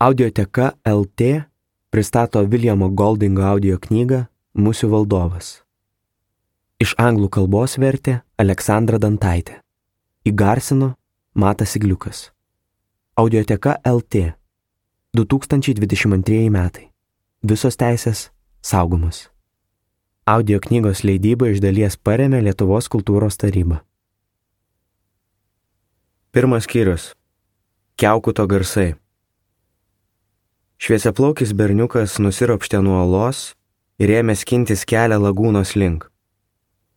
Audioteka LT pristato Viljamo Goldingo audio knygą Musių valdovas. Iš anglų kalbos vertė Aleksandra Dantaitė. Įgarsino Matas Igliukas. Audioteka LT 2022 metai. Visos teisės saugomos. Audio knygos leidybą iš dalies parėmė Lietuvos kultūros taryba. Pirmas skyrius. Kiaukuto garsai. Šviesiaplaukis berniukas nusiropštė nuo olos ir ėmė skintis kelią lagūnos link.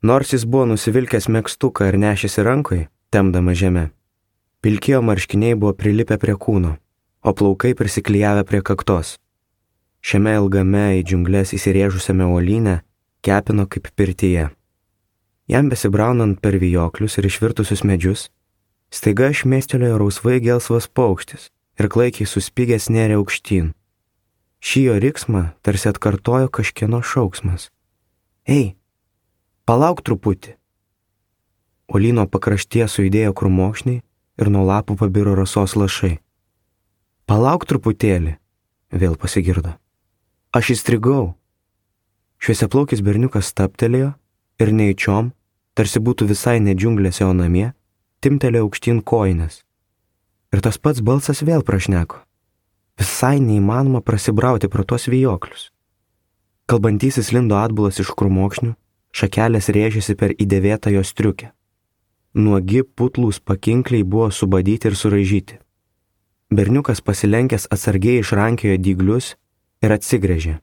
Nors jis buvo nusivilkęs megztuką ir nešėsi rankoje, tempdama žemę, pilkėjo marškiniai buvo prilipę prie kūno, o plaukai prisiklijavę prie kaktos. Šiame ilgame į džiunglės įsirėžusiame uolyne kepino kaip pirtyje. Jam besibraunant per vijoklius ir išvirtusius medžius, staiga šmėstelėjo rausvai gelsvas paukštis ir klaikiai suspigęs nėrė aukštyn. Šį jo riksmą tarsi atkartojo kažkieno šauksmas. Ei, palauk truputį. Uolyno pakraštyje sujudėjo krūmokšniai ir nuo lapų pabiro rasos lašai. Palauk truputėlį, vėl pasigirdo. Aš įstrigau. Šviesiaplaukis berniukas stabtelėjo ir neįčiom, tarsi būtų visai ne džiunglėse, o namie, timtelėjo aukštyn kojines. Ir tas pats balsas vėl prašneko. Visai neįmanoma prasibrauti pro tuos vijoklius. Kalbantysis lindo atbulas iš krūmokšnių, šakelės rėžėsi per įdėvėtą jo striukę. Nuogi putlūs pakinkliai buvo subadyti ir suraižyti. Berniukas pasilenkęs atsargiai išrankiojo dyglius ir atsigręžė.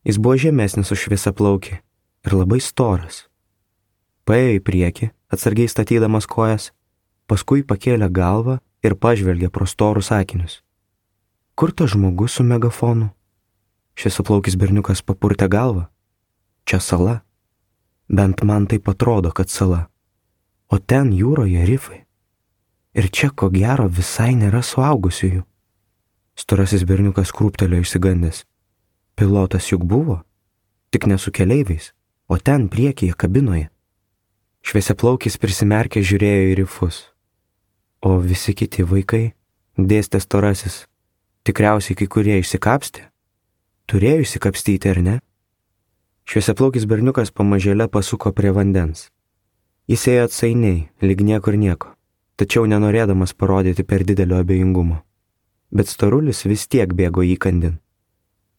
Jis buvo žemesnis už šviesiaplaukį ir labai storas. Paėjo į priekį, atsargiai statydamas kojas, paskui pakėlė galvą ir pažvelgė pro storus akinius. Kur tas žmogus su megafonu? Šviesiaplaukis berniukas papurtė galvą. Čia sala. Bent man taip atrodo, kad sala. O ten jūroje rifai. Ir čia ko gero visai nėra suaugusiųjų. Storasis berniukas krūptelėjo išsigandęs. Pilotas juk buvo, tik ne su keleiviais, o ten priekyje kabinoje. Šviesiaplaukis prisimerkė žiūrėjo į rifus. O visi kiti vaikai, dėstė storasis, tikriausiai kai kurie išsikapstė. Turėjo išsikapstyti, ar ne? Šviesiaplaukis berniukas pamažėle pasuko prie vandens. Jis ėjo atsainiai, lyg niekur nieko, tačiau nenorėdamas parodyti per didelio abejingumo. Bet storulis vis tiek bėgo įkandin.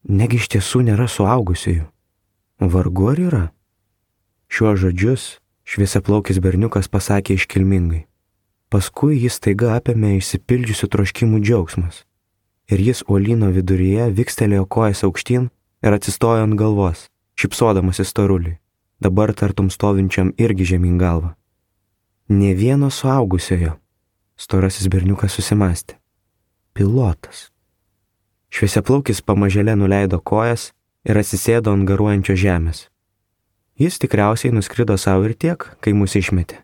Negi iš tiesų nėra suaugusiųjų. Vargu ar yra? Šiuos žodžius šviesiaplaukis berniukas pasakė iškilmingai. Paskui jis staiga apėmė išsipildžiusių troškimų džiaugsmas. Ir jis uolyno viduryje vikstelėjo kojas aukštyn ir atsistojo ant galvos, šypsodamasis storuliui, dabar tartum stovinčiam irgi žemyn galvą. Nė vieno suaugusiojo, storasis berniukas susimastė. Pilotas. Šviesiaplaukis pamažėle nuleido kojas ir atsisėdo ant garuojančio žemės. Jis tikriausiai nuskrido savo ir tiek, kai mus išmetė.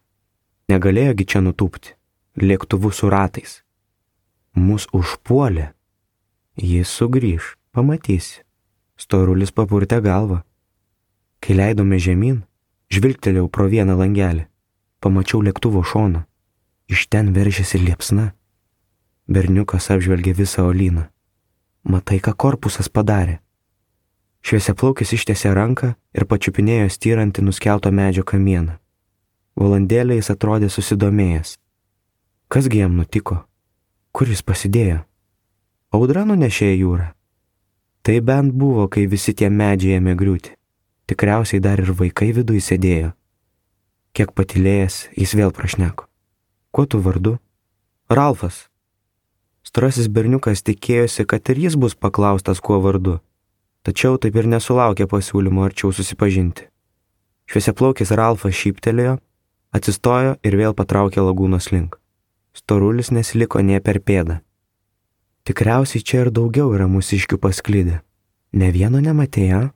Negalėjogi čia nutūpti, lėktuvu su ratais. Mus užpuolė. Jis sugrįž, pamatysi. Storulis papurtė galvą. Kai leidome žemyn, žvilgtelėjau pro vieną langelį. Pamačiau lėktuvo šoną. Iš ten veržėsi liepsna. Berniukas apžvelgė visą uolyną. Matai, ką korpusas padarė. Šviesiaplaukis ištiesė ranką ir pačiupinėjo styrantį nuskelto medžio kamieną. Valandėlę jis atrodė susidomėjęs. Kasgi jam nutiko? Kur jis pasidėjo? Audra nunešė į jūrą. Tai bent buvo, kai visi tie medžiai ėmė griūti. Tikriausiai dar ir vaikai viduj sėdėjo. Kiek patylėjęs, jis vėl prašneko. Kuo tu vardu? Ralfas. Storasis berniukas tikėjosi, kad ir jis bus paklaustas kuo vardu. Tačiau taip ir nesulaukė pasiūlymo arčiau susipažinti. Šviesiaplaukis Ralfas šyptelėjo, atsistojo ir vėl patraukė lagūnos link. Storulis nesiliko nė per pėdą. Tikriausiai čia ir daugiau yra mūsiškių pasklidę. Ne vieno nematėjo?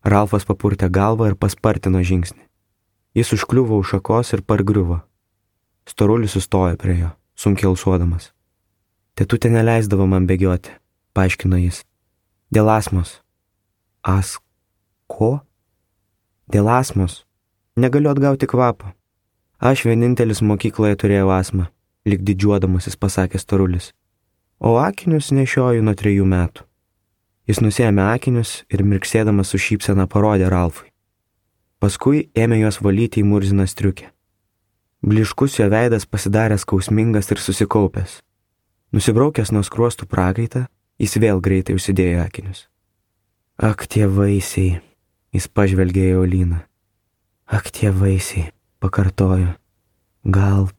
Ralfas papurtė galvą ir paspartino žingsnį. Jis užkliuvo už šakos ir pargriuvo. Storulis sustojo prie jo, sunkiai alsuodamas. Tetutė neleisdavo man bėgioti, paaiškino jis. Dėl astmos. Ko? Dėl astmos. Negaliu atgauti kvapo. Aš vienintelis mokykloje turėjau astmą, lyg didžiuodamasis pasakė storulis. o akinius nešioju nuo 3 metų. Jis nusiėmė akinius ir mirksėdamas su šypsena parodė Ralfui. Paskui ėmė juos valyti į murziną striukę. Bliškus jo veidas pasidarė skausmingas ir susikaupęs. Nusibraukęs nuo skruostų prakaitą, jis vėl greitai užsidėjo akinius. Ak, tie vaisiai, jis pažvelgė į Oliną. Ak, tie vaisiai, pakartojo. Gal